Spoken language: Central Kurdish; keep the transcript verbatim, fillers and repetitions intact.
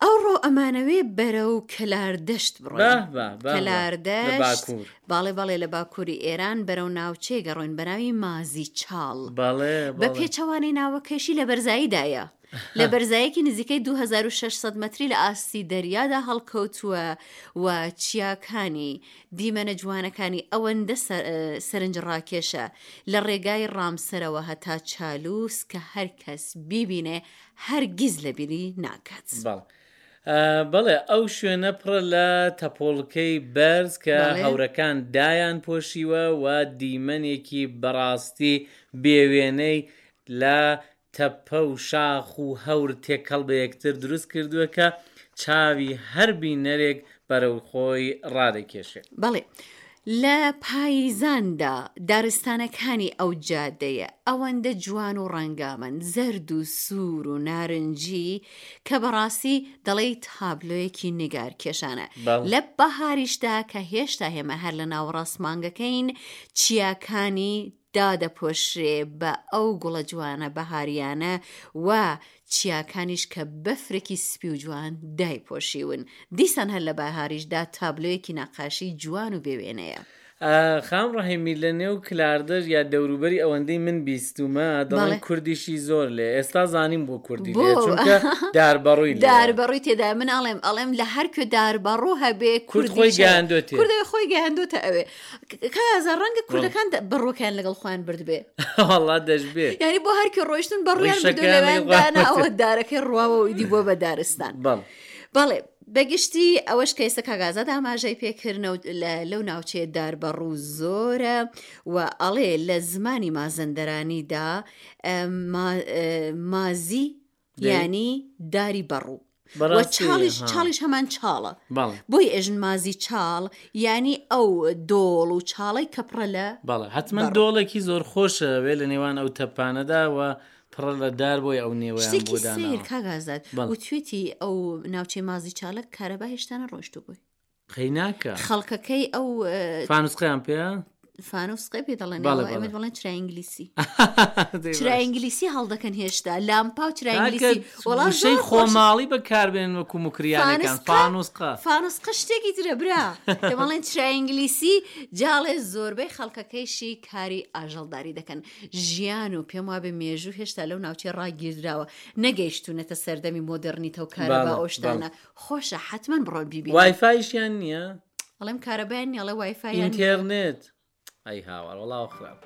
ئەوڕۆ ئەمانەوێ بەرەو کەلاردەشت بڕۆین. بە بە بە لە کەلاردەشت باکوور. باڵێ بەڵێ لە باکووری ئێران بەرەو ناوچەیەک ئەڕۆین بە ناوی مازی چاڵ. بەڵێ بە بەڵێ. پێچەوانەی ناوەکەیشی لە بەرزاییدایە. لە بەرزایەکی نزیکەی دوو هەزار و شەش سەد مەتری لە ئاستی دەریادا هەڵکەوتووە و چیاکانی دیمەنە جوانەکانی ئەوەندە سەرنجڕاکێشە لە ڕێگای ڕامسەرەوە هەتا چالووس کە هەر کەس بیبینێ هەرگیز لەبیری ناکات. بەڵێ. بەڵێ ئەو شوێنە پڕە لە تەپۆڵکەی بەرز کە هەورەکان دایان پۆشیوە و دیمەنێکی بەڕاستی بێوێنەی لە تەپە و شاخ و هەور تێکەڵ بە یەکتر دروست کردووە کە چاوی هەر بینەرێک بەرەو خۆی ڕادەکێشێ. بەڵێ لە پاییزاندا دارستانەکانی ئەو جادەیە ئەوەندە جوان و ڕەنگامەن، زەرد و سوور و نارنجی کە بەڕاستی دەڵێی تابلۆیەکی نیگارکێشانە. بەڵێ. لە بەهاریشدا کە هێشتا ئێمە هەر لە ناوەڕاست مانگەکەین، چیاکانی دادەپۆشرێ بە ئەو گوڵە جوانە بەهاریانە و چیاکانیش کە بەفرێکی سپی و جوان دایپۆشیون. دیسان هەر لە بەهاریشدا تابلۆیەکی نەقاشی جوان و بێوێنەیە. خان ڕەحیمی لە نێو کلاردەش یا دەوروبەری ئەوەندەی من بیستومە دەڵێن بەڵێ. کوردیشی زۆر لێ ئێستا زانیم بۆ کوردی بۆ لێ چونکە داربەڕووی لێیە. داربەڕووی تێدایە من ئەڵێم ئەڵێم لە هەر کوێ داربەڕوو هەبێ کورد خۆی کوردیش هەیە. گەیاندۆتێ. کوردێ خۆی گەیاندۆتە ئەوێ. کازا ڕەنگە بەڵێ. کوردەکان بەڕووەکەیان لەگەڵ خۆیان بردبێ. وەڵا دەشبێ. یعنی بۆ هەر کوێ ڕۆیشتن بەڕوویان بردووە ڕیشەکەیان لەوێیان لەگەڵ خۆیان داناوە بردووە. دارەکەی ڕواوە و ئیدی بووە بە دارستان. بەڵێ. بەڵێ بەگشتی ئەوەش کە ئێستا کاک ئازاد ئاماژەی پێکردنە و لەو ناوچەیە داربەڕوو زۆرە و ئەڵێ لە زمانی مازەندەرانیدا مازی دەی. یعنی داری بەڕوو و بەڕاستی چاڵیش ها. چاڵیش هەمان چاڵە بەڵێ. بۆی ئێژن مازی چاڵ یعنی ئەو دۆڵ و چاڵەی کە پڕە لە بەڵێ حتمما بەڕوو. دۆڵێکی زۆر خۆشە وێ لە نێوان ئەو تەپانەدا و پڕە لە دار بۆی ئەو نێوەیان بۆ شتێکی سەیر داناوە. کاک ئازاد بەڵێ. وتوێتی ئەو ناوچەی مازی چاڵە کارەبا هێشتا نەڕۆیشتوو بووی. قەیناکە. خەڵکەکەی ئەو فانوسقەیان پێیە؟ فانوسقەی پێ دەڵێن بەڵێ، ئێمە بەڵێ. دەڵێن چرای ئینگلیسی. دەی چرای باش. ئینگلیسی هەڵدەکەن هێشتا لامپا و چرای کاکە ئینگلیسی وەڵا وشەی زۆر خۆشە. خۆماڵی بەکاربێنن وەکو موکریانەکان فانوسقە فانوسقە. فانوسقە شتێکی ترە برا. دەڵێن چرای ئینگلیسی جاڵێ زۆربەی خەڵکەکەیشی کاری ئاژەڵداری دەکەن. ژیان و پێم وابێ مێژوو هێشتا لەو ناوچەی ڕاگیردراوە نەگەیشتونەتە سەردەمی مۆدێرنیتە و کارەبا بەڵێ، ئەو شتانە. بەڵێ. خۆشە حتمما بڕۆن بیبینن. وایفایشیان نییە؟ ئەڵێم کارەبایان نییە ئەڵێ وایفایان نییە. ئینتێرنێت. ئەی هاوار وەڵا خراپ.